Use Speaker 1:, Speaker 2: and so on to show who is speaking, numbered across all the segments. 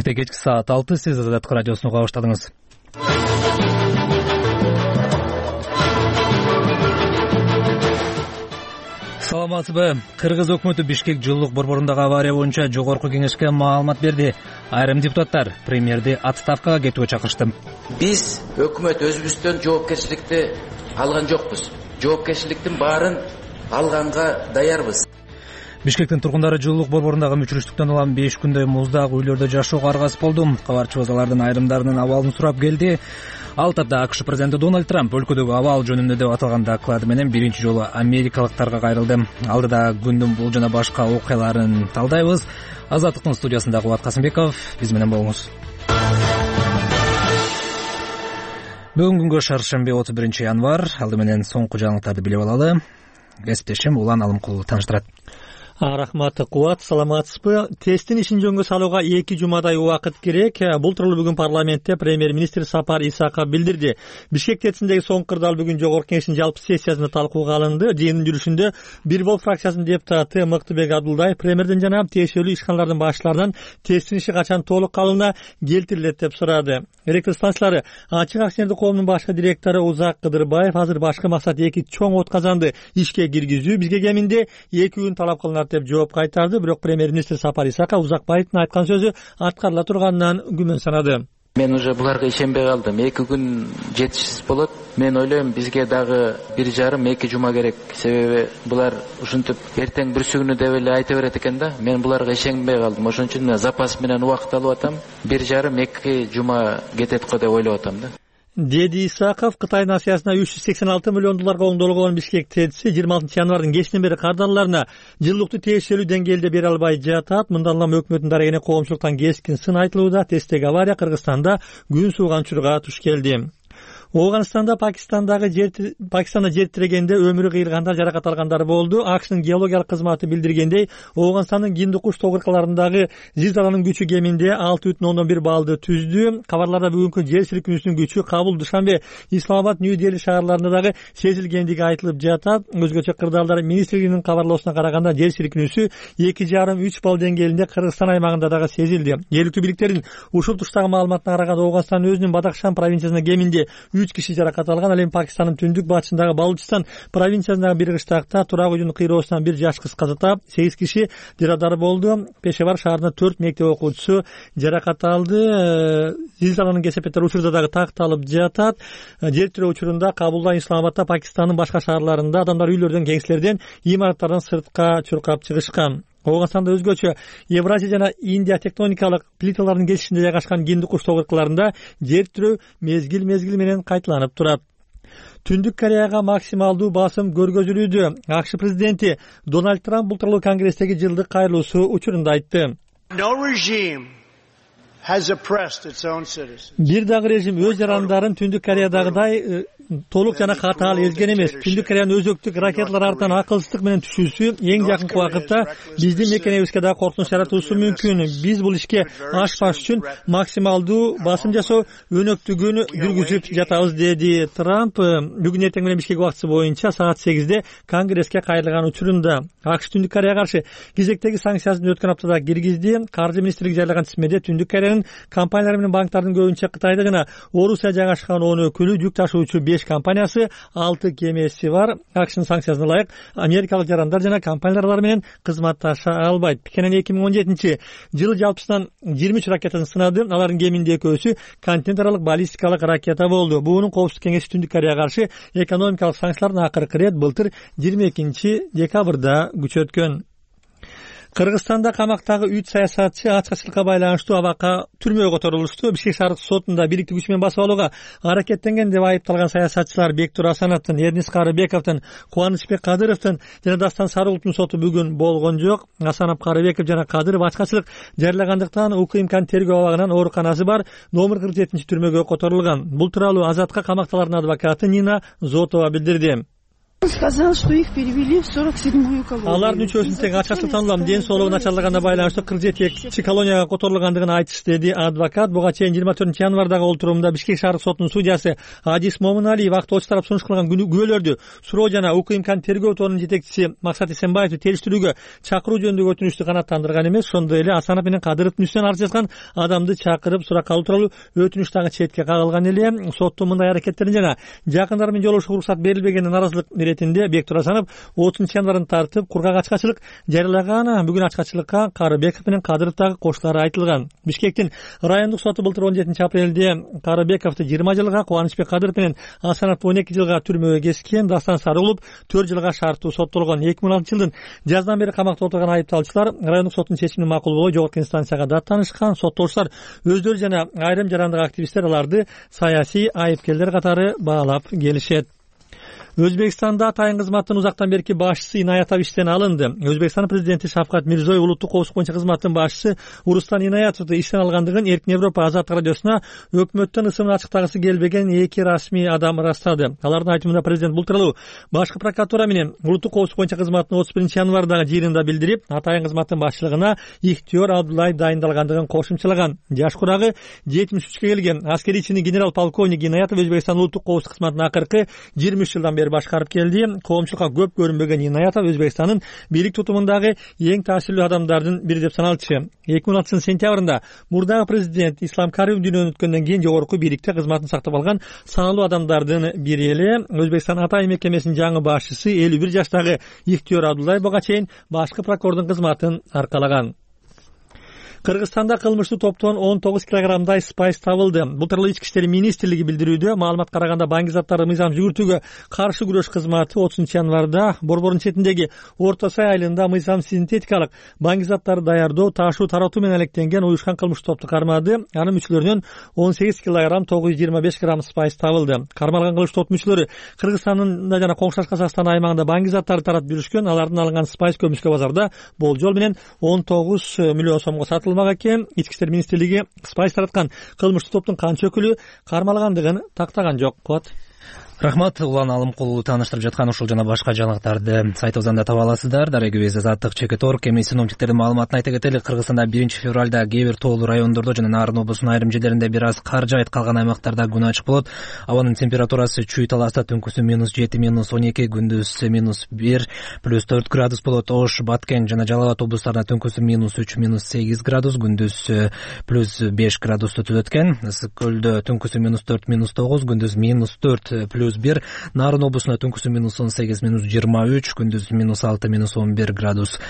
Speaker 1: Эрте кечки саат 6 сиз Азаттык радиосуну уга баштадыңыз. Саламатсызбы? Кыргыз өкмөтү Бишкек жылуулук борборундагы авария боюнча жогорку кеңешке маалымат берди. Айрым депутаттар премьерди отставкага кетүүгө чакырышты.
Speaker 2: Биз өкмөт өзүбүздөн жоопкерчиликти алган жокпуз. Жоопкерчиликтин баарын алганга даярбыз.
Speaker 1: Бишкектин тургундары жылуулук борборундагы мүчүрүштүктөн улам 5 күндөй муздак үйлөрдө жашоого аргасыз болду. Кабарчыбыз алардын айрымдарынын абалын сурап келди. Ал тапта АКШ президенти Дональд Трамп өлкөдөгү абал жөнүндө деп аталган доклады менен биринчи жолу америкалыктарга кайрылды. Алдыда күндүн бул жана башка окуяларын талдайбыз. Азаттыктын студиясында Кубат Касымбеков, биз менен болуңуз. Бүгүнкү күнгө шаршемби 31 январь. Алды менен соңку жаңылыктарды билип алалы. Кесиптешим Улан Алымкулов таныштырат.
Speaker 3: Рахмат Кубат, саламатсызбы? Тесттин ишин жөнгө салууга 2 жумадай убакыт керек. Бул тууралуу бүгүн парламентте премьер-министр Сапар Исаков билдирди. Бишкек тестиндеги соңку кырдаал бүгүн жогорку кеңештин жалпы сессиясында талкууга алынды. Жыйындын жүрүшүндө Бир Бол фракциясынын депутаты Мыктыбек Абдулдаев премьерден жана тиешелүү ишканалардын башчыларынан тесттин иши качан толук калыбына келтирилет деп сурады. Электр станциялары ачык акционердик коомунун башкы директору Узак Кыдырбаев азыр башкы максат 2 чоң отказанды ишке киргизүү, бизге кеминде 2 күн талап кылынат деп жооп кайтарды. Бирок премьер-министр Сапар Исаков Узакбаевдин айткан сөзү аткарыла турганынан күмөн санады.
Speaker 2: Мен уже буларга ишенбей калдым. 2 күн жетишсиз болот. Мен ойлойм, бизге дагы 1,5-2 жума керек. Себеби булар ушинтип эртең бүрсүгүнү деп эле айта берет экен да. Мен буларга ишенбей калдым. Ошон үчүн мен запас менен убакыт алып атам. 1,5-2 жума кетет го деп ойлоп атам да.
Speaker 3: Деди Исаков, Кытайдын Асиясына $386 миллион оңдолгон Бишкек тестиси 26 январдын кечинен бери кардарларына жылуулукту тиешелүү деңгээлде бере албай жатат. Мындан улам өкмөттүн дарегине коомчулуктан кескин сын айтылууда. Тесттеги авария Кыргызстанда күн сууган учурга туш келди. Ооганстанда Пакистанда жер тирегенде өмүрү кыйылгандар, жаракат алгандар болду. АКШнын геологиялык кызматы билдиргендей, Ооганстандын Гиндукуш тоо кыркаларындагы зилзаланын күчү кеминде 6,1 баллды түздү. Кабарларда бүгүнкү жер силкинүүсүнүн күчү Кабул, Душанбе, Исламабад, Нью-Дели шаарларында дагы сезилгендиги айтылып жатат. Өзгөчө кырдаалдар министрлигинин кабарлоосуна караганда жер силкинүүсү 2,5-3 балл деңгээлинде Кыргызстан аймагында дагы сезилди. Жергиликтүү бийликтердин ушул туштагы маалыматына караганда Ооганстан өзүнүн Бадахшан провинциясында кеминде 3 киши жаракат алган. Ал эми Пакистандын түндүк батышындагы Балучистан провинциясындагы бир кыштакта турак үйдүн кыйроосунан бир жаш кыз каза таап, 8 киши жарадар болду. Пешевар шаарында 4 мектеп окуучусу жаракат алды. Зилзаланын кесепеттери учурда дагы такталып жатат. Жер тирөө учурунда Кабулда, Исламабадда, Пакистандын башка шаарларында адамдар үйлөрдөн, кеңселерден, имараттардан сыртка чуркап чыгышкан. Ооганстанда өзгөчө Евразия жана Индия тектоникалык плиталарынын кесишинде жайгашкан Гиндукуш тоо кыркаларында жер тирөө мезгил менен кайталанып турат. Түндүк Кореяга максималдуу басым көргөзүлүүдө. АКШ президенти Дональд Трамп бул тууралуу Конгресстеги жылдык кайрылуусу учурунда айтты. Бир дагы режим өз жарандарын Түндүк Кореядагыдай толук жана катаал элген эмес. Түндүк Кореянын өзөктүк ракеталар артынан акылсыздык менен түшүүсү эң жакынкы убакытта биздин мекенебизге да коркунуч жаратуусу мүмкүн. Биз бул ишке ашпаш үчүн максималдуу басым жасоо өнөктүгүн жүргүзүп жатабыз, деди Трамп. Бүгүн эртең менен Бишкек убактысы боюнча саат 8-де Конгресске кайрылган учурунда АКШ Түндүк Кореяга каршы кезектеги санкциясын өткөн аптада киргизди. Каржы министрлиги жарыяган тизмеде Түндүк Кореянын компаниялары менен банктардын көбүнчө Кытайда жана Орусия жайгашкан 10 өкүлү, жүк ташуучу 5 компаниясы, 6 кемеси бар. АКШнын санкциясына ылайык америкалык жарандар жана компаниялар менен кызматташа албайт. Пекинен 2017 жылы жалпысынан 23 ракетасын сынады. Алардын кеминде экөөсү континент аралык баллистикалык ракета болду. Буунун коопсуздук кеңеши Түндүк Кореяга каршы экономикалык санкциялардын акыркы ирет былтыр 22 декабрда күчөткөн. Кыргызстанда камактагы 3 саясатчы ачкычылыкка байланыштуу абакка түрмөгө которулушту. Бишкек шаардык сотунда бириктик күч менен басып алууга аракеттенген деп айыпталган саясатчылар Бектур Асановдун, Эрнис Карыбековдун, Кубанычбек Кадыровдун жана Дастан Сарыуловдун соту бүгүн болгон жок. Асанов, Карыбеков жана Кадыров ачкачылык жарыялагандыктан УКМКнын тергөө абагынан ооруканасы бар номер 47 түрмөгө которулган. Бул тууралуу Азатка камакталардын адвокаты Нина Зотова билдирди.
Speaker 4: Сказал, что их перевели в 47-ю колонию.
Speaker 3: Алардын үчөөсүн тең ачкачтык танылам ден соолугу начарлаганына байланыштуу 47 колонияга которулгандыгын айтышты, деди адвокат. Буга чейин 24-январдагы олтуруумда Бишкек шаардык сотунун судьясы Адис Момуналиев актоочу тарап сунуш кылган күбөлөрдү суроо жана УКМКнын тергөө тобунун жетекчиси Максат Эсенбаевди териштирүүгө чакыруу жөнүндөгү өтүнүчтү канааттандырган эмес, ошондой эле Асанов менен Кадыровдун үстүнөн арыз жазган адамды чакырып суракка алуу тууралуу өтүнүч дагы четке кагылган эле. Соттун мындай аракеттерин жана жакындары менен жолугушууга уруксат берилбегенине наразылык иретинде Бектур Асанов 30-январдан тартып кургак ачкачылык жарыялаган. Бүгүн ачкачылыкка Карыбеков менен Кадыров дагы коштулары айтылган. Бишкектин райондук соту былтыр 17-апрелде Карыбековду 20 жылга, Кубанычбек Кадыров менен Асанов 12 жылга түрмөгө кескен. Дастан Сарыулов 4 жылга шарттуу соттолгон. 2016-жылдын жаздан бери камакта отурган айыпталуучулар райондук соттун чечимине макул болбой жогорку инстанцияга даттанышкан. Соттолуучулар өздөрү жана айрым жарандык активисттер аларды саясий айыпкерлер катары баалап келишет. Өзбекстанда атайын кызматтын узактан берки башчысы Инаятов иштен алынды. Өзбекстан президенти Шавкат Мирзиёев улуттук коопсуздук боюнча кызматтын башчысы Урустан Инаятовду иштен алгандыгын Эркин Европа Азаттык радиосуна өкмөттүн ысымын ачыктагысы келбеген эки расмий адам ырастады. Алардын айтымында президент бул тууралуу башкы прокуратура менен улуттук коопсуздук боюнча кызматтын 31-январдагы жыйынында билдирип, атайын кызматтын башчылыгына Ихтиёр Абдуллаев дайындалгандыгын кошумчалаган. Жаш курагы 73 келген аскерий чини генерал-полковник Инаятов Өзбекстан улуттук коопсуздук кызматына акыркы 23 жылдан бери башкарып келди. Коомчулукка көп көрүнбөгөн Инаятов Өзбекстандын бийлик тутумундагы эң таасирлүү адамдардын бири деп саналчу. 2016 сентябрында мурдагы президент Ислам Каримов дүйнөдөн өткөндөн кийин жогорку бийликте кызматын сактап алган саналуу адамдардын бири эле. Өзбекстан атайын мекемесинин жаңы башчысы 51 жаштагы Ихтиёр Абдуллаев буга чейин башкы прокурордун кызматын аркалаган. Кыргызстанда кылмыштуу топтон 19 килограммдай спайс табылды. Бул тууралуу Ички иштер министрлиги билдирүүдө. Маалыматка караганда баңги заттарды мыйзам жүгүртүүгө каршы күрөш кызматы 30-январда Борбордун четиндеги Орто Сай айылында мыйзам синтетикалык баңги заттарды даярдоо, ташуу, таратуу менен алектенген уюшкан кылмыштуу топту кармады. Анын мүчөлөрүнөн 18 килограмм 925 грамм спайс табылды. Кармалган кылмыштуу топ мүчөлөрү Кыргызстанда жана коңшулаш Казакстан аймагында баңги заттарды таратып жүрүшкөн. Алардын алынган спайс көмүскө базарда болжол менен 19 миллион сомго сатылмак экен. Ички иштер министрлиги спайс тараткан кылмыштуу топтун канча өкүлү кармалгандыгын тактаган жок.
Speaker 1: Рахмат. Улан Алымкулу тааныштырып жаткан ушул жана башка жаңылыктарды сайтыбыздан да таба аласыздар. Дарегибиз Азаттык Чекет.орг. Эми синоптиктердин маалыматына айта кетели. Кыргызстанда 1-февралда кээ бир тоолуу райондордо жана Нарын облусунун айрым жерлеринде бир аз кар жаайт, калган аймактарда күн ачык болот. Абанын температурасы Чүй Таласта түнкүсү -7, -12, күндүз -1, +4 градус болот. Ош, Баткен жана Жалал Абад облустарында түнкүсү -3, -8 градус, күндүз +5 градусту түзөт экен. Ысык көлдө түнкүсү -4, -9, күндүз -4, +1. Нарын облусунда түнкүсү -18, -23, күндүз -6, -11 градус.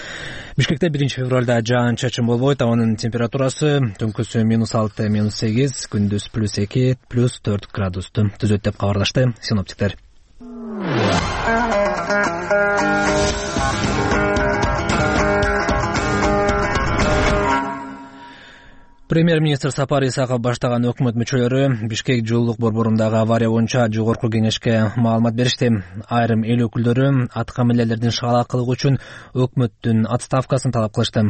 Speaker 1: Бишкекте 1-февралда жаан-чачын болбойт. Абанын температурасы түнкүсү -6, -8, күндүз +2, +4 градусту түзөт деп кабарлашты синоптиктер. Премьер-министр Сапар Исаков баштаган өкмөт мүчөлөрү Бишкек жылуулук борборундагы авария боюнча жогорку кеңешке маалымат беришти. Айрым эл өкүлдөрү аткаминерлердин шагалакылыгы үчүн өкмөттүн отставкасын талап кылышты.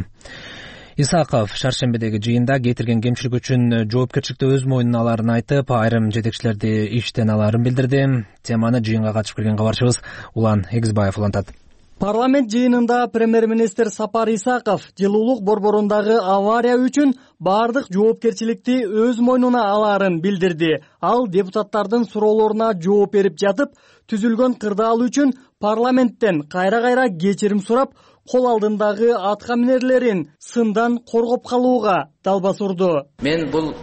Speaker 1: Исаков шаршембедеги жыйында кетирген кемчилик үчүн жоопкерчиликти өз мойнуна аларын айтып, айрым жетекчилерди иштен аларын билдирди. Теманы жыйынга катышып келген кабарчыбыз Улан Эгизбаев улантат.
Speaker 5: Парламент жыйынында премьер-министр Сапар Исаков жылуулук борборундагы авария үчүн бардык жоопкерчиликти өз мойнуна аларын билдирди. Ал депутаттардын суроолоруна жооп берип жатып, түзүлгөн кырдаал үчүн парламенттен кайра-кайра кечирим сурап, кол алдындагы аткаминерлерин сындан коргоп калууга далбас урду.
Speaker 2: Мен бул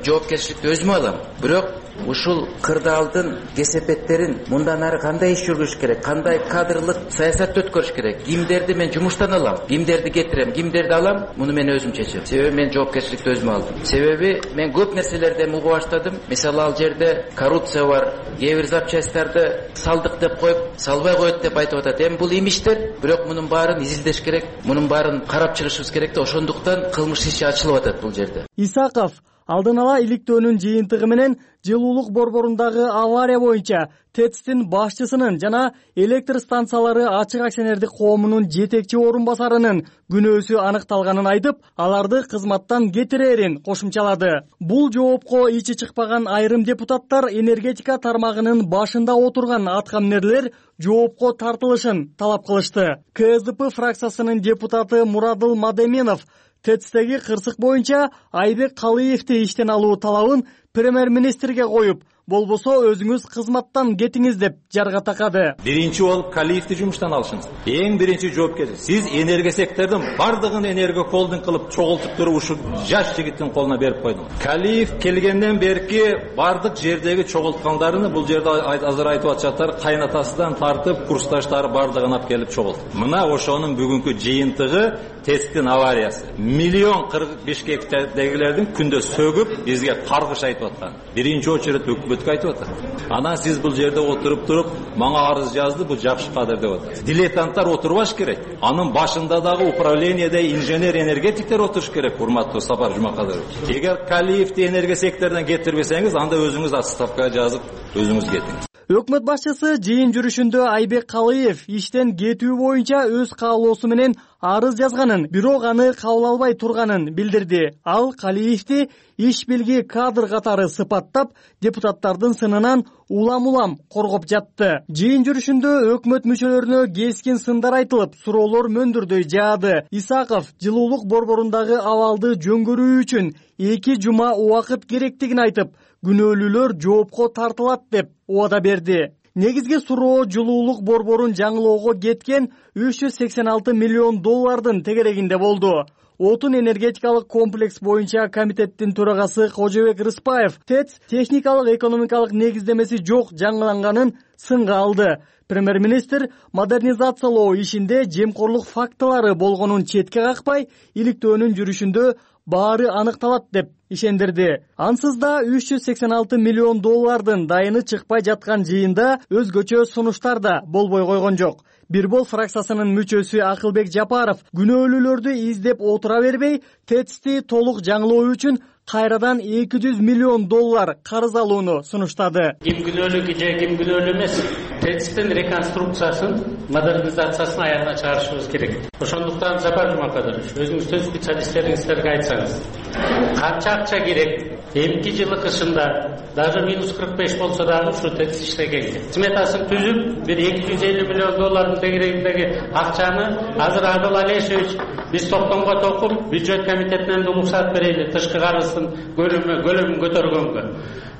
Speaker 2: жоопкерчиликти өзүмө алам. Бирок ушул кырдаалдын кесепеттерин мындан ары кандай иш жүргүзүш керек, кандай кадрлык саясатты өткөрүш керек, кимдерди мен жумуштан алам, кимдерди кетирем, кимдерди алам, муну мен өзүм чечем. Себеби мен жоопкерчиликти өзүмө алдым. Себеби мен көп нерселерден угуп баштадым. Мисалы, ал жерде коррупция бар, кээ бир запчасттарды салдык деп коюп, салбай коет деп айтып атат. Эми бул имиштер, бирок мунун баарын изилдеш керек, мунун баарын карап чыгышыбыз керек да, ошондуктан кылмыш иши ачылып атат бул жерде.
Speaker 5: Исаков Алдын ала иликтөөнүн жыйынтыгы менен жылуулук борборундагы авария боюнча ТЭЦтин башчысынын жана электр станциялары ачык акционердик коомунун жетекчи орун басарынын күнөөсү аныкталганын айтып, аларды кызматтан кетирээрин кошумчалады. Бул жоопко ичи чыкпаган айрым депутаттар энергетика тармагынын башында отурган аткаминерлер жоопко тартылышын талап кылышты. КСДП фракциясынын депутаты Мурадыл Мадеменов ТЭЦтеги кырсык боюнча Айбек Калыевди иштен алуу талабын премьер-министрге коюп, болбосо өзүңүз кызматтан кетиңиз деп жарга такады.
Speaker 6: Биринчи болуп Калиевди жумуштан алышыңыз. Эң биринчи жоопкерчилик. Сиз энергия сектордун бардыгын энергия холдинг кылып чогултуп туруп ушу жаш жигиттин колуна берип койдуңуз. Калиев келгенден берки бардык жердеги чогулткандарын бул жерде азыр айтып атышаттар, кайнатасынан тартып курсташтары бардыгын алып келип чогулту. Мына ошонун бүгүнкү жыйынтыгы ТЭЦтин авариясы. Миллион Бишкектегилердин күндө сөгүп бизге каргыш айтып аткан. Биринчи очередь өкмөткө айтып атат. Анан сиз бул жерде отуруп туруп, мага арыз жазды, бул жакшы кадыр деп атат. Дилетанттар отурбаш керек. Анын башында дагы управлениеде инженер-энергетиктер отуруш керек, урматтуу Сапар Жумакадырович. Эгер Калиевди энергия секторунан кетирбесеңиз, анда өзүңүз отставкага жазып, өзүңүз кетиңиз.
Speaker 5: Өкмөт башчысы жыйын жүрүшүндө Айбек Калыев иштен кетүү боюнча өз каалоосу менен арыз жазганын, бирок аны кабыл албай турганын билдирди. Ал Калиевди иш билги кадр катары сыпаттап, депутаттардын сынынан улам-улам коргоп жатты. Жыйын жүрүшүндө өкмөт мүчөлөрүнө кескин сындар айтылып, суроолор мөндүрдөй жаады. Исаков жылуулук борборундагы абалды жөнгөрүү үчүн 2 жума убакыт керектигин айтып, күнөөлүүлөр жоопко тартылат деп убада берди. Негизги суроо жылуулук борборун жаңылоого кеткен 386 миллион доллардын тегерегинде болду. Отун энергетикалык комплекс боюнча комитеттин төрагасы Кожобек Рыспаев ТЭЦ техникалык экономикалык негиздемеси жок жаңыланганын сынга алды. Премьер-министр модернизациялоо ишинде жемкорлук фактылары болгонун четке какпай, иликтөөнүн жүрүшүндө баары аныкталат деп ишендирди. Ансыз да 386 миллион доллардын дайыны чыкпай жаткан жыйында өзгөчө сунуштар да болбой койгон жок. Бирбол фракциясынын мүчөсү Акылбек Жапаров күнөөлүүлөрдү издеп отура бербей, ТЭЦти толук жаңылоо үчүн кайрадан 200 миллион доллар карыз алууну сунуштады.
Speaker 7: Ким күнөөлүү же ким күнөөлүү эмес, ТЭЦтин реконструкциясын, модернизациясын аягына чыгарышыбыз керек. Ошондуктан Сапар Жумакадырович, өзүңүздүн специалисттериңиздерге айтсаңыз, канча акча керек? Эмки жылы кышында даже -45 болсо дагы ушу ТЭЦ иштегенге. Сметасын түзүп, бир 250 миллион доллардын тегерегиндеги акчаны азыр Адыл Алешевич биз токтомго токуп, бюджет комитетинен уруксат берели тышкы карыздын көлөмүн көтөргөнгө.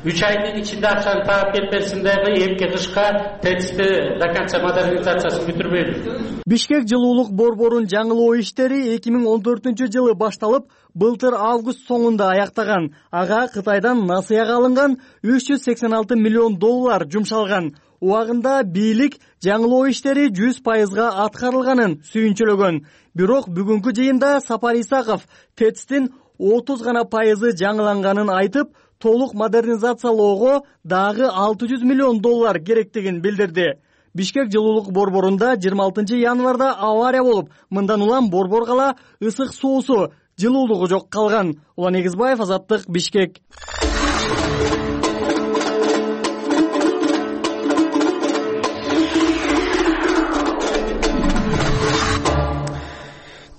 Speaker 7: 3 айдын ичинде акчаны таап келип берсин дагы эмки кышка ТЭЦти до конца модернизациясын бүтүрбөйлү.
Speaker 5: Бишкек жылуулук борборун жаңылоо иштери 2014 жылы башталып, былтыр август соңунда аяктаган. Ага Кытайдан насыяга алынган 386 миллион доллар жумшалган. Убагында бийлик жаңылоо иштери 100%га аткарылганын сүйүнчөлөгөн. Бирок бүгүнкү жыйында Сапар Исаков ТЭЦтин 30 гана пайызы жаңыланганын айтып, толук модернизациялоого дагы 600 миллион доллар керектигин билдирди. Бишкек жылуулук борборунда 26 январда авария болуп, мындан улам борбор кала ысык суусу, жылуулугу жок калган. Улан Эгизбаев, Азаттык, Бишкек.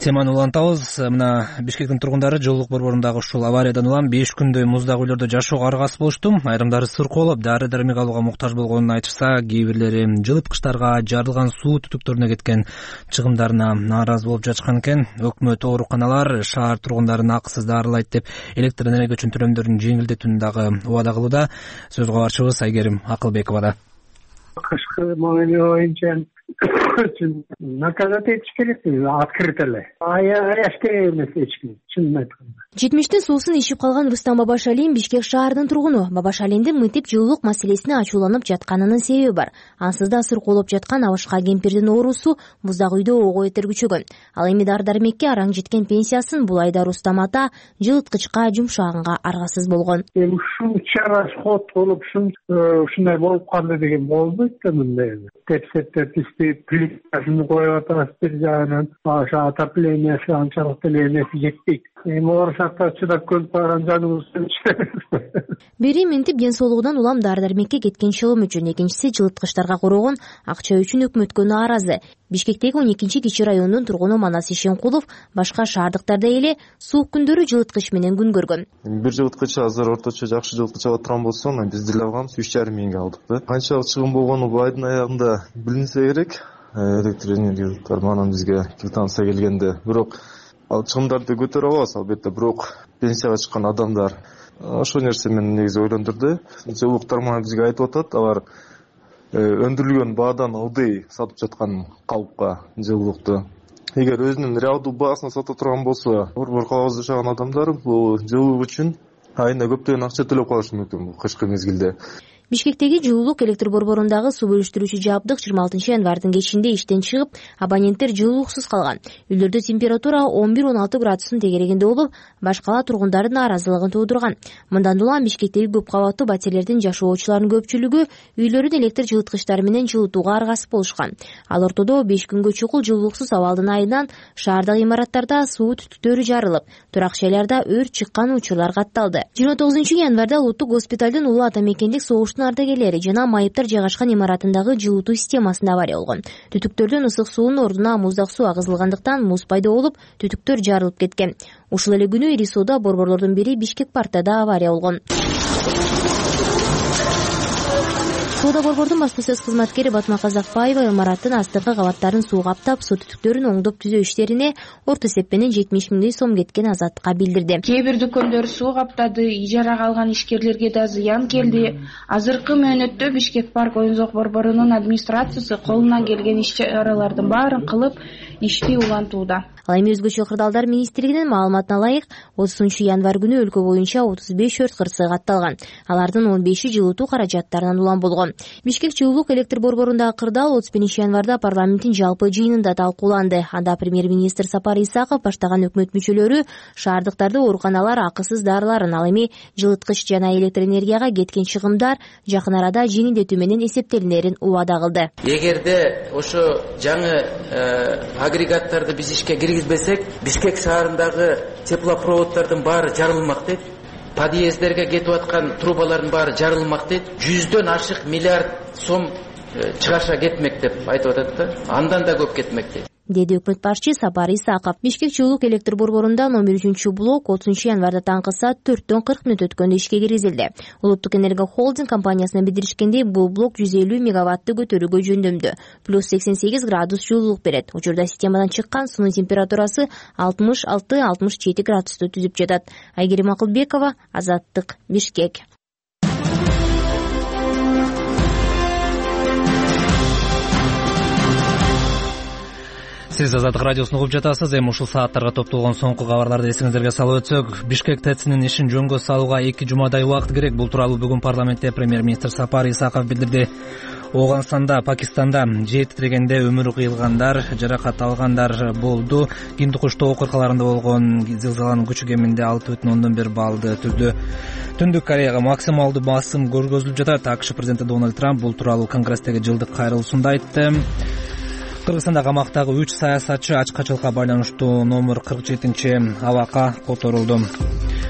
Speaker 1: Теманы улантабыз. Мына Бишкектин тургундары жылуулук борборундагы ушул авариядан улам 5 күндөй муздак үйлөрдө жашоого аргасыз болушту. Айрымдары сыркоолоп, дары-дармек алууга муктаж болгонун айтышса, кээ бирлери жылып кыштарга жарылган суу түтүктөрүнө кеткен чыгымдарына нааразы болуп жатышкан экен. Өкмөт ооруканалар шаар тургундарын акысыз дарылайт деп электр энергия үчүн төлөмдөрүн жеңилдетүүнү дагы убада кылууда. Сөз кабарчыбыз Айгерим Акылбекова.
Speaker 8: Кышкы мамиле боюнча наказать этиш керек, открыто эле. Аяш керек эмес эч ким, чынын айтканда.
Speaker 9: 70-тин суусун ичип калган Рустам Бабашалин Бишкек шаарынын тургуну. Бабашалиндин мынтип жылуулук маселесине ачууланып жатканынын себеби бар. Ансыз да сыркоолоп жаткан Абышка кемпирдин оорусу муздак үйдө ого бетер күчөгөн. Ал эми дары-дармекке араң жеткен пенсиясын бул айда Рустам ата жылыткычка жумшаганга аргасыз болгон.
Speaker 8: Ушул чара ход болуп, ушундай болуп калды деген болбойт да мындай. Тепсеттер плитасын коюп атабыз бир жагынан, ошо отоплениеси анчалык деле эмеси жетпейт. эми оорушакта чыдап көлүп калган жаныбызды иштебейбиз.
Speaker 9: Бири минтип ден соолугунан улам дары-дармекке кеткен чылым үчүн, экинчиси жылыткычтарга корогон акча үчүн өкмөткө нааразы. Бишкектеги 12 кичи райондун тургуну Манас Ишенкулов башка шаардыктарда эле суук күндөрү жылыткыч менен күн көргөн.
Speaker 10: Бир жылыткыч азыр орточо жакшы жылыткыч алып турган болсо, биз деле алганбыз 3,5 миңге алдык да. Канчалык чыгым болгону бул айдын аягында билинсе керек. Электр энергия манан бизге квитанция келгенде, бирок ал чыгымдарды көтөрө алабыз албетте, бирок пенсияга чыккан адамдар ошол нерсе мени негизи ойлондурду. Жылуулук тармагы бизге айтып атат, алар өндүрүлгөн баадан ылдый сатып жаткан калыпка жылуулукту. Эгер өзүнүн реалдуу баасын сата турган болсо, борбор калабыз жашаган адамдар бул жылуулук үчүн айына көптөгөн акча төлөп калышы мүмкүн бул кышкы мезгилде.
Speaker 9: Бишкектеги жылуулук электр борборундагы суу бөлүштүрүүчү жабдык 26 январдын кечинде иштен чыгып, абоненттер жылуулуксуз калган. Үйлөрдө температура 11-16 градустун тегерегинде болуп, башкала тургундардын нааразылыгын туудурган. Мындан улам Бишкектеги көп кабаттуу батирлердин жашоочуларынын көпчүлүгү үйлөрүн электр жылыткычтары менен жылытууга аргасыз болушкан. Ал ортодо 5 күнгө чукул жылуулуксуз абалдын айынан шаардагы имараттарда суу түтүктөрү жарылып, турак жайларда өрт чыккан учурлар катталды. 29 январда Улуттук госпиталдын Улуу Ата Мекендик согуштун ардагерлери жана майыптар жайгашкан имаратындагы жылытуу системасында авария болгон. Түтүктөрдөн ысык суунун ордуна муздак суу агызылгандыктан муз пайда болуп, түтүктөр жарылып кеткен. Ушул эле күнү Ири сууда борборлордун бири Бишкек портунда авария болгон. Соода борбордун баспасөз кызматкери Батма Казакбаева имараттын астыңкы кабаттарын суу каптап, суу түтүктөрүн оңдоп түзөө иштерине орто эсеп менен 70 миңдей сом кеткен Азаттыкка билдирди.
Speaker 11: Кээ бир дүкөндөр суу каптады, ижарага алган ишкерлерге да зыян келди. Азыркы мөөнөттө Бишкек парк оюн-зоок борборунун администрациясы колунан келген иш чаралардын баарын кылып, ишти улантууда. Ал
Speaker 9: эми өзгөчө кырдаалдар министрлигинин маалыматына ылайык 30 январь күнү өлкө боюнча 35 өрт кырсыгы катталган. Алардын 15и жылытуу каражаттарынан улам болгон. Бишкек жылуулук электр борборундагы кырдаал 31 январда парламенттин жалпы жыйынында талкууланды. Анда премьер-министр Сапар Исаков баштаган өкмөт мүчөлөрү шаардыктарды ооруканалар акысыз дарыларын, ал эми жылыткыч жана электр энергияга кеткен чыгымдар жакын арада жеңилдетүү менен эсептелинерин убада кылды.
Speaker 2: Эгерде ошо жаңы агрегаттарды биз ишке киргизбесек, Бишкек шаарындагы теплопроводдордун баары жарылмак дейт. Подъездерге кетип аткан трубалардын баары жарылмак дейт. 100дөн ашык миллиард сом чыгарша кетмек деп айтып атат да. Андан да көп кетмек дейт,
Speaker 9: деди өкмөт башчы Сапар Исаков. Бишкек жылуулук электр борборунда номер 3-блок 30 январда таңкы саат 4дөн 40 мүнөт өткөндө ишке киргизилди. Улуттук энергия холдинг компаниясына билдиришкендей, бул блок 150 мегаватты көтөрүүгө жөндөмдүү, плюс 88 градус жылуулук берет. Учурда системадан чыккан суунун температурасы 66-67 градусту түзүп жатат. Айгерим Акылбекова, Азаттык, Бишкек.
Speaker 1: Сиз Азаттык радиосун угуп жатасыз. Эми ушул сааттарга топтолгон соңку кабарларды эсиңиздерге салып өтсөк, Бишкек ТЭЦинин ишин жөнгө салууга 2 жумадай убакыт керек. Бул тууралуу бүгүн парламентте премьер-министр Сапар Исаков билдирди. Оганстанда, Пакистанда жер титирегенде өмүрү кыйылгандар, жаракат алгандар болду. Гиндукуштоо окуяларында болгон зилзаланын күчү кеминде 6,1 баллды түздү. Түндүк Кореяга максималдуу басым көргөзүлүп жатат. АКШ президенти Дональд Трамп бул тууралуу Конгресстеги жылдык кайрылуусунда айтты. Кыргызстанда камактагы 3 саясатчы ачкачылыкка байланыштуу номер 47 абакка которулду.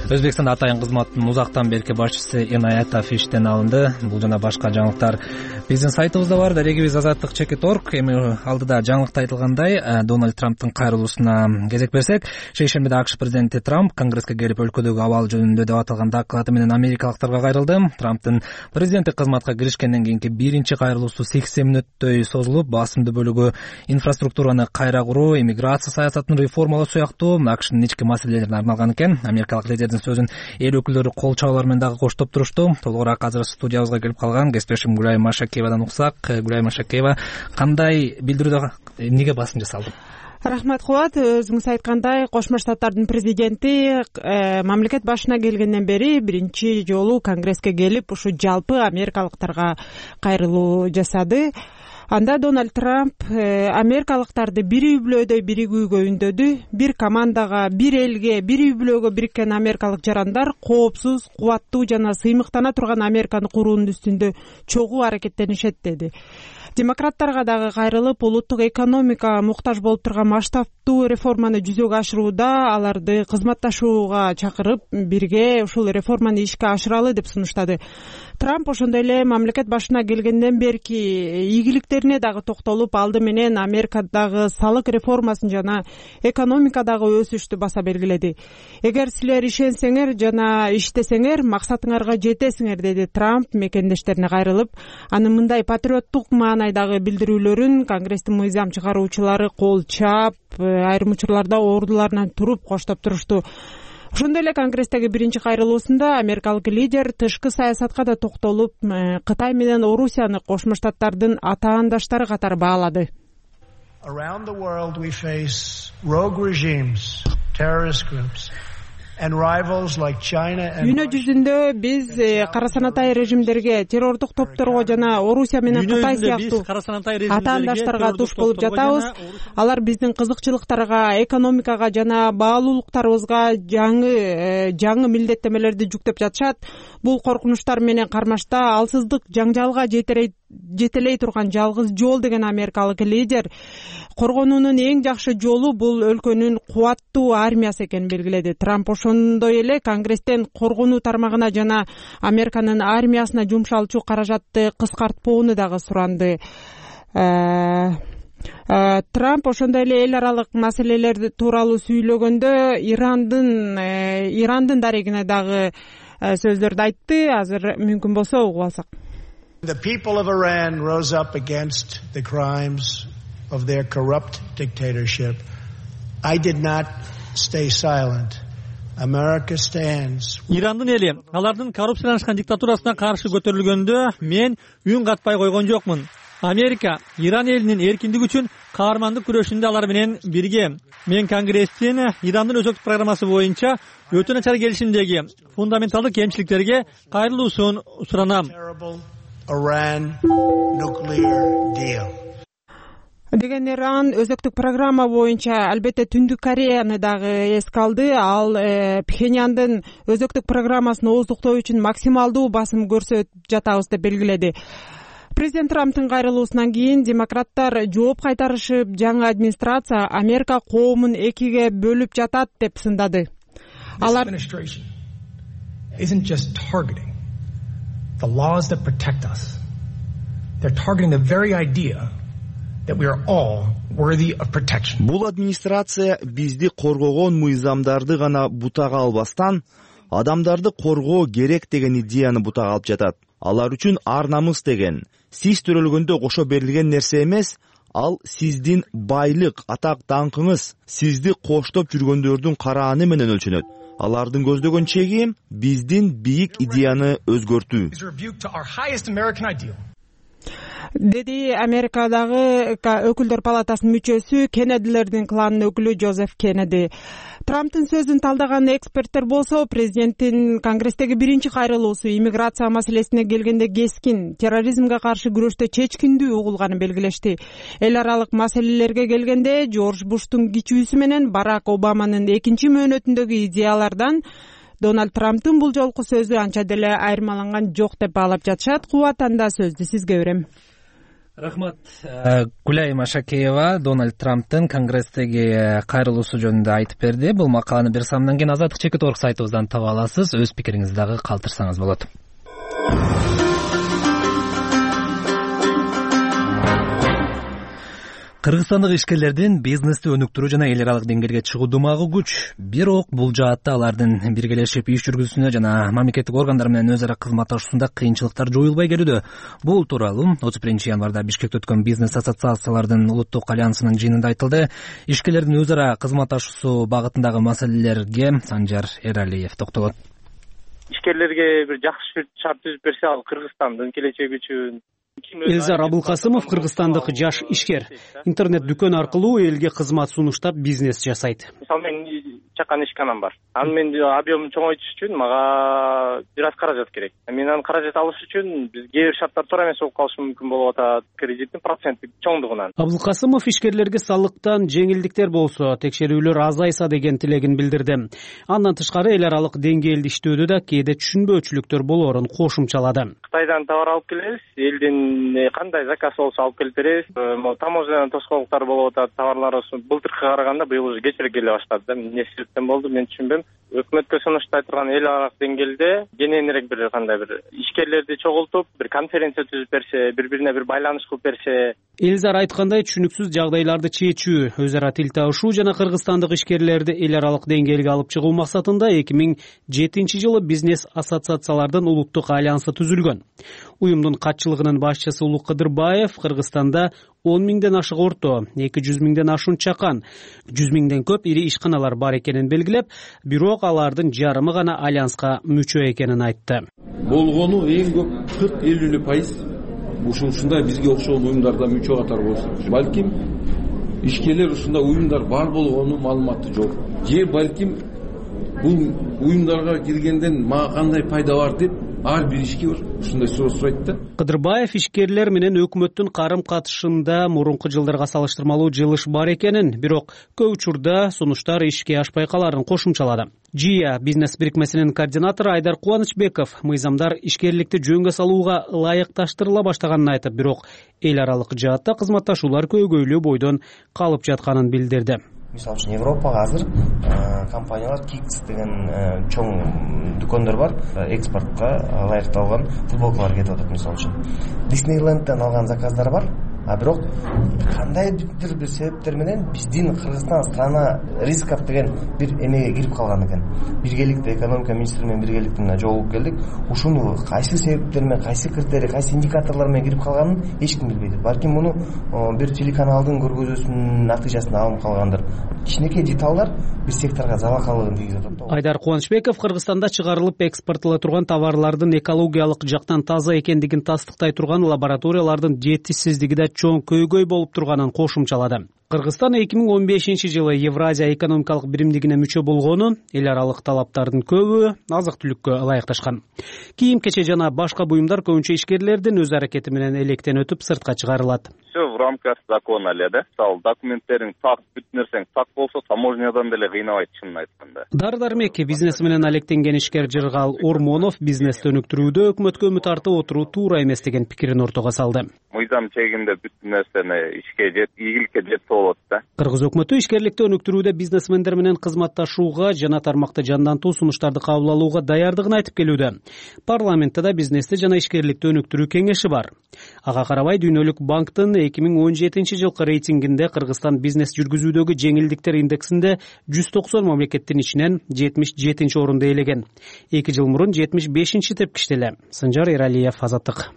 Speaker 1: Өзбекстанда атайын кызматтын узактан берки башчысы Инаятов иштен алынды. Бул жана башка жаңылыктар биздин сайтыбызда бар. Дарегибиз Азаттык.org. Эми алдыда жаңылыкта айтылгандай, Дональд Трамптын кайрылуусуна кезек берсек, шейшембиде АКШ президенти Трамп Конгресске келип өлкөдөгү абал жөнүндө деп аталган доклады менен америкалыктарга кайрылды. Трамптын президенттик кызматка киришкенден кийинки биринчи кайрылуусу 80 мүнөттөй созулуп, басымдуу бөлүгү инфраструктураны кайра куруу, иммиграция саясатын реформалоо сыяктуу АКШнын ички маселелерине арналган экен. Америкалык лидердин сөзүн эл өкүлдөрү кол чабуулар менен дагы коштоп турушту. Толугураак азыр студиябызга келип калган кесиптешим Гүлай Машакеевадан уксак. Гүлай Машакеева, кандай билдирүүдө эмнеге басым жасалды?
Speaker 12: Рахмат Кубат. Өзүңүз айткандай, Кошмо Штаттардын президенти мамлекет башына келгенден бери биринчи жолу Конгресске келип, ушу жалпы америкалыктарга кайрылуу жасады. Анда Дональд Трамп америкалыктарды бир үй бүлөдөй биригүүгө үндөдү. Бир командага, бир элге, бир үй бүлөгө бириккен америкалык жарандар коопсуз, кубаттуу жана сыймыктана турган Американы куруунун үстүндө чогуу аракеттенишет деди. Демократтарга дагы кайрылып, улуттук экономика муктаж болуп турган масштабтуу реформаны жүзөгө ашырууда аларды кызматташууга чакырып, бирге ушул реформаны ишке ашыралы деп сунуштады. Трамп ошондой эле мамлекет башына келгенден берки ийгиликтерине дагы токтолуп, алды менен Америкадагы салык реформасын жана экономикадагы өсүштү баса белгиледи. Эгер силер ишенсеңер жана иштесеңер, максатыңарга жетесиңер, деди Трамп мекендештерине кайрылып. Анын мындай патриоттук маанайдагы билдирүүлөрүн Конгресстин мыйзам чыгаруучулары кол чаап, айрым учурларда ордуларынан туруп коштоп турушту. Ошондой эле Конгресстеги биринчи кайрылуусунда америкалык лидер тышкы саясатка да токтолуп, Кытай менен Орусияны Кошмо Штаттардын атаандаштары катары баалады.
Speaker 13: Around the world we face rogue regimes, terrorist groups
Speaker 12: Дүйнө жүзүндө биз кара санатай режимдерге, террордук топторго жана Орусия менен Кытай сыяктуу атаандаштарга туш болуп жатабыз. Алар биздин кызыкчылыктарга, экономикага жана баалуулуктарыбызга жаңы милдеттемелерди жүктөп жатышат. Бул коркунучтар менен кармашта алсыздык жаңжалга жетелей турган жалгыз жол, деген америкалык лидер коргонуунун эң жакшы жолу бул өлкөнүн кубаттуу армиясы экенин белгиледи. Трамп ошондой эле Конгресстен коргонуу тармагына жана Американын армиясына жумшалчу каражатты кыскартпоону дагы суранды. Трамп ошондой эле эл аралык маселелер тууралуу сүйлөгөндө Ирандын дарегине дагы сөздөрдү айтты. Азыр мүмкүн болсо угуп алсак.
Speaker 13: The people of Iran rose up against the crimes of their corrupt dictatorship. I did not stay silent. America stands.
Speaker 3: Ирандын эли алардын коррупцияланышкан диктатурасына каршы көтөрүлгөндө мен үн катпай койгон жокмун. Америка Иран элинин эркиндиги үчүн каармандык күрөшүндө алар менен бирге. Мен Конгресстин Ирандын өзөктүк программасы боюнча өтө начар келишимдеги фундаменталдык кемчиликтерге кайрылуусун суранам.
Speaker 13: Iran nuclear deal.
Speaker 12: Деген Иран өзөктүк программа боюнча албетте Түндүк Кореяны дагы эске алды. Ал Пхеньяндын өзөктүк программасын ооздуктоо үчүн максималдуу басым көрсөтүп жатабыз деп белгиледи. Президент Трамптын кайрылуусунан кийин демократтар жооп кайтарышып, жаңы администрация Америка коомун экиге бөлүп жатат деп сындады.
Speaker 14: Алар isn't just targeting the laws that protect us. They're targeting the very idea that we are all worthy of protection.
Speaker 15: Бул администрация бизди коргогон мыйзамдарды гана бутага албастан, адамдарды коргоо керек деген идеяны бутага алып жатат. Алар үчүн ар намыс деген сиз төрөлгөндө кошо берилген нерсе эмес, ал сиздин байлык, атак, даңкыңыз, сизди коштоп жүргөндөрдүн карааны менен өлчөнөт. Алардын көздөгөн чеги биздин бийик идеяны өзгөртүү.
Speaker 12: Деди Америкадагы өкүлдөр палатасынын мүчөсү, Кеннедилердин кланынын өкүлү Жозеф Кеннеди. Трамптын сөзүн талдаган эксперттер болсо, президенттин Конгресстеги биринчи кайрылуусу иммиграция маселесине келгенде кескин, терроризмге каршы күрөштө чечкиндүү угулганын белгилешти. Эл аралык маселелерге келгенде Жорж Буштун кичүүсү менен Барак Обаманын экинчи мөөнөтүндөгү идеялардан Дональд Трамптын бул жолку сөзү анча деле айырмаланган жок деп баалап жатышат. Кубат, анда сөздү сизге берем.
Speaker 1: Рахмат. Гүлай Машакеева Дональд Трамптын Конгресстеги кайрылуусу жөнүндө айтып берди. Бул макаланы бир самдан кийин Азаттык чекит орг сайтыбыздан таба аласыз. Өз пикириңизди дагы калтырсаңыз болот. Кыргызстандык ишкерлердин бизнести өнүктүрүү жана эл аралык деңгээлге чыгуудумагы күч. Бирок бул жаатта алардын биргелешип иш жүргүзүүсүнө жана мамлекеттик органдар менен өз ара кызматташуусунда кыйынчылыктар жоюлбай келүүдө. Бул тууралуу 31 январда Бишкекте өткөн бизнес ассоциациялардын улуттук альянсынын жыйынында айтылды. Ишкерлердин өз ара кызматташуусу багытындагы маселелерге Санжар Эралиев токтолот.
Speaker 16: Ишкерлерге бир жакшы шарт түзүп берсе, ал Кыргызстандын келечеги үчүн.
Speaker 17: Элзар Абылкасымов кыргызстандык жаш ишкер. Интернет дүкөн аркылуу элге кызмат сунуштап бизнес жасайт.
Speaker 16: Мисалы, мен чакан ишканам бар. Аны мен объемун чоңойтуш үчүн мага бир аз каражат керек. Мен аны каражат алыш үчүн бизге кээ бир шарттар туура эмес болуп калышы мүмкүн болуп атат, кредиттин проценттик чоңдугунан.
Speaker 17: Абылкасымов ишкерлерге салыктан жеңилдиктер болсо, текшерүүлөр азайса деген тилегин билдирди. Андан тышкары эл аралык деңгээлде иштөөдө да кээде түшүнбөөчүлүктөр болоорун кошумчалады.
Speaker 16: Кытайдан товар алып келебиз, элдин кандай заказ болсо алып келип беребиз. Таможнядан тоскоолдуктар болуп атат, товарларыбыз былтыркыга караганда быйыл уже кечирээк келе баштады да. Эмне себептен болду мен түшүнбөйм. Өкмөткө сунуштай турган эл аралык деңгээлде кененирээк бир кандай бир ишкерлерди чогултуп, бир конференция түзүп берсе, бири-бирине бир байланыш кылып берсе.
Speaker 17: Элзар айткандай, түшүнүксүз жагдайларды чечүү, өз ара тил табышуу жана кыргызстандык ишкерлерди эл аралык деңгээлге алып чыгуу максатында 2007-жылы бизнес ассоциациялардын улуттук альянсы түзүлгөн. Уюмдун катчылыгынын башчысы Улук Кыдырбаев Кыргызстанда 10 миңден ашык орто, 200 миңден ашуун чакан, 100 миңден көп ири ишканалар бар экенин белгилеп, бирок алардын жарымы гана альянска мүчө экенин айтты.
Speaker 18: Болгону эң көп 40-50% ушундай бизге окшогон уюмдарда мүчө катары болсо, балким ишкерлер ушундай уюмдар бар болгону маалыматы жок. Же балким бул уюмдарга киргенден мага кандай пайда бар деп ар бир ишкер ушундай суроо сурайт да.
Speaker 17: Кыдырбаев ишкерлер менен өкмөттүн карым катышында мурунку жылдарга салыштырмалуу жылыш бар экенин, бирок көп учурда сунуштар ишке ашпай каларын кошумчалады. ЖИА бизнес бирикмесинин координатору Айдар Кубанычбеков мыйзамдар ишкерликти жөнгө салууга ылайыкташтырыла баштаганын айтып, бирок эл аралык жаатта кызматташуулар көйгөйлүү бойдон калып жатканын билдирди.
Speaker 19: Мисалы үчүн Европага азыр компаниялар Kicks деген чоң дүкөндөр бар, экспортко ылайыкталган футболкалар кетип атат. Мисалы үчүн Disneyland'дан алган заказдар бар, а бирок кандайдыр бир себептер менен биздин Кыргызстан страна рисков деген бир эмеге кирип калган экен. Биргеликте экономика министри менен биргеликте жолугуп келдик. Ушуну кайсы себептер менен, кайсы критерий, кайсы индикаторлор менен кирип калганын эч ким билбейт. Балким муну бир телеканалдын көргөзүүсүнүн натыйжасында алынып калгандыр. Кичинекей деталдар бир секторго залалкалыгын тийгизип атат.
Speaker 17: Айдар Кубанычбеков Кыргызстанда чыгарылып экспорттола турган товарлардын экологиялык жактан таза экендигин тастыктай турган лабораториялардын жетишсиздиги да чоң көйгөй болуп турганын кошумчалады. Кыргызстан 2015-жылы Евразия экономикалык биримдигине мүчө болгону, эл аралык талаптардын көбү азык-түлүккө ылайыкташкан. Кийим-кече жана башка буюмдар көбүнчө ишкерлердин өз аракети менен электен өтүп сыртка чыгарылат.
Speaker 20: Все в рамках закона эле да. Мисалы документтериң так, бүт нерсең так болсо, таможнядан деле кыйнабайт чынын айтканда.
Speaker 17: Дары-дармек бизнеси менен алектенген ишкер Жыргал Ормонов бизнести өнүктүрүүдө өкмөткө үмүт артып отуруу туура эмес деген пикирин ортого салды.
Speaker 20: Мыйзам чегинде бүт нерсени ишке ийгиликке жетсе болот да.
Speaker 17: Кыргыз өкмөтү ишкерликти өнүктүрүүдө бизнесмендер менен кызматташууга жана тармакты жандантуу сунуштарды кабыл алууга даярдыгын айтып келүүдө. Парламентте да бизнести жана ишкерликти өнүктүрүү кеңеши бар. Ага карабай Дүйнөлүк банктын 2017-жылкы рейтингинде Кыргызстан бизнес жүргүзүүдөгү жеңилдиктер индексинде 190 мамлекеттин ичинен 77-орунду ээлеген. 2 жыл мурун 75-ти тепкиштеле. Сынжар Эралиев, Азаттык.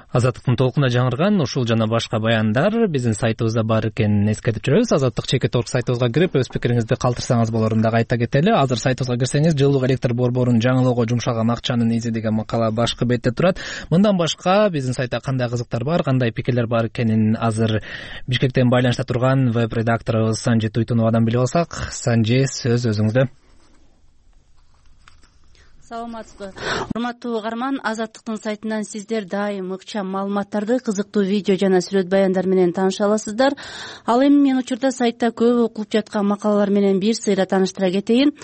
Speaker 1: Азаттыктын толкуна жаңырган ушул жана башка баяндар биздин сайтыбызда бар экенин эскертип жүрөбүз. Азаттык.org сайтыбызга кирип өз пикириңизди калтырсаңыз болорун дагы айта кетели. Азыр сайтыбызга кирсеңиз жылуулук электр борборун жаңылоого жумшалган акчанын изи деген макала башкы бетте турат. Мындан башка биздин сайтта кандай кызыктар бар, кандай пикирлер бар экенин азыр Бишкектен байланышта турган веб-редакторубуз Санжи Туйтуновадан билип алсак. Санжи, сөз өзүңүздө.
Speaker 21: Саламатсызбы. Урматтуу угарман, Азаттыктын сайтынан сиздер дайым ыкчам маалыматтарды, кызыктуу видео жана сүрөт баяндар менен тааныша аласыздар. Ал эми мен учурда сайтта көп окулуп жаткан макалалар менен бир сыйра тааныштыра кетейин.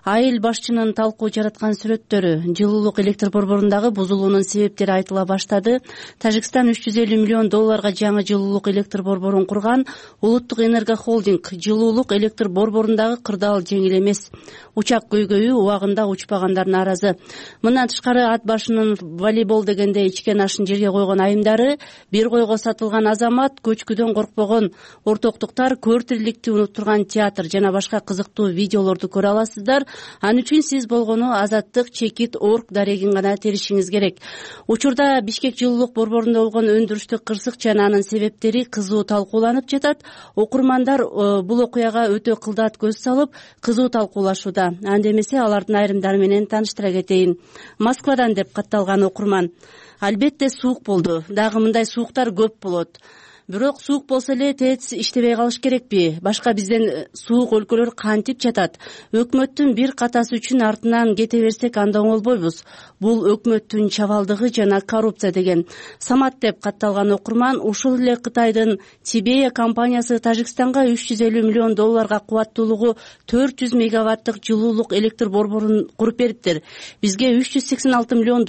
Speaker 21: Айыл башчынын талкуу жараткан сүрөттөрү, жылуулук электр борборундагы бузулуунун себептери айтыла баштады. Тажикстан $350 миллион жаңы жылуулук электр борборун курган. Улуттук энерго холдинг жылуулук электр борборундагы кырдаал жеңил эмес. Учак көйгөйү убагында учпагандардын аразы. Мындан тышкары ат башынын волейбол дегенде ичкен ашын жерге койгон айымдары, бир койго сатылган азамат, көчкүдөн коркпогон ортоктуктар, көр тириликти унуттурган театр жана башка кызыктуу видеолорду көрө аласыздар. Ан үчүн сиз болгону Азаттык.org дарегин гана теришиңиз керек. Учурда Бишкек жылуулук борборунда болгон өндүрүштүк кырсык жана анын себептери кызуу талкууланып жатат. Окурмандар бул окуяга өтө кылдат көз салып, кызуу талкуулашууда. Анда эмесе алардын айрымдары менен тааныштыра кетейин. Москвадан деп катталган окурман. Албетте суук болду. Дагы мындай сууктар көп болот. бирок суук болсо эле ТЭЦ иштебей калыш керекпи? Башка бизден суук өлкөлөр кантип жатат? Өкмөттүн бир катасы үчүн артынан кете берсек анда оңолбойбуз. Бул өкмөттүн чабалдыгы жана коррупция деген. Самат деп катталган окурман ушул эле Кытайдын Тибея компаниясы Тажикстанга $350 миллион кубаттуулугу 400 мегаваттык жылуулук электр борборун куруп бериптир. Бизге $386 миллион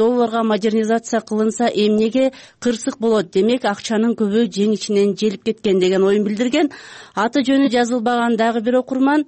Speaker 21: модернизация кылынса эмнеге кырсык болот? Демек акчанын көбү жең ичинен желип кеткен деген оюн билдирген. Аты жөнү жазылбаган дагы бир окурман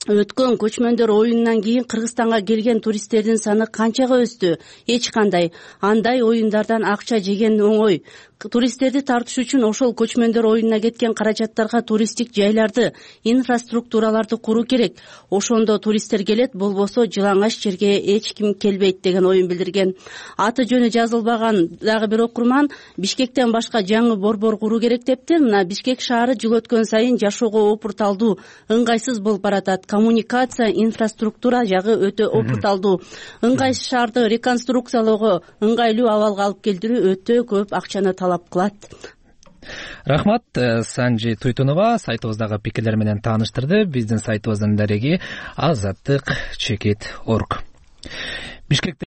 Speaker 21: өткөн көчмөндөр оюнунан кийин Кыргызстанга келген туристтердин саны канчага өстү? Эч кандай. Андай оюндардан акча жеген оңой. Туристтерди тартыш үчүн ошол көчмөндөр оюнуна кеткен каражаттарга туристтик жайларды, инфраструктураларды куруу керек. Ошондо туристтер келет, болбосо жылаңач жерге эч ким келбейт деген оюн билдирген. Аты жөнү жазылбаган дагы бир окурман Бишкектен башка жаңы борбор куруу керек дептир. Мына Бишкек шаары жыл өткөн сайын жашоого опурталдуу, ыңгайсыз болуп баратат. Коммуникация, инфраструктура жагы өтө опурталдуу. Ыңгайсыз шаарды реконструкциялоого, ыңгайлуу абалга алып келтирүү өтө көп акчаны талап кылат.
Speaker 1: Рахмат, Санжи Туйтунова сайтыбыздагы пикирлер менен тааныштырды. Биздин сайтыбыздын дареги azattik.org. Бишкекте